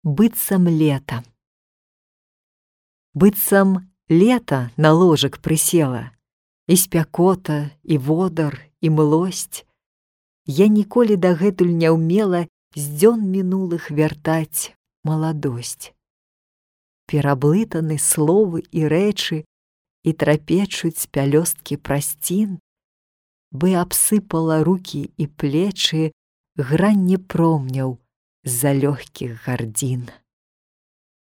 Быццам лета. Быццам лета на ложак прысела, і спякота, і водар, і млосць. Я ніколі дагэтуль не ўмела з дзён мінулых вяртаць маладосць. Пераблытаны словы і рэчы і трапечуць пялёсткі прасцін, бы абсыпала рукі і плечы гранне промняў з-за лёгкіх гардзін.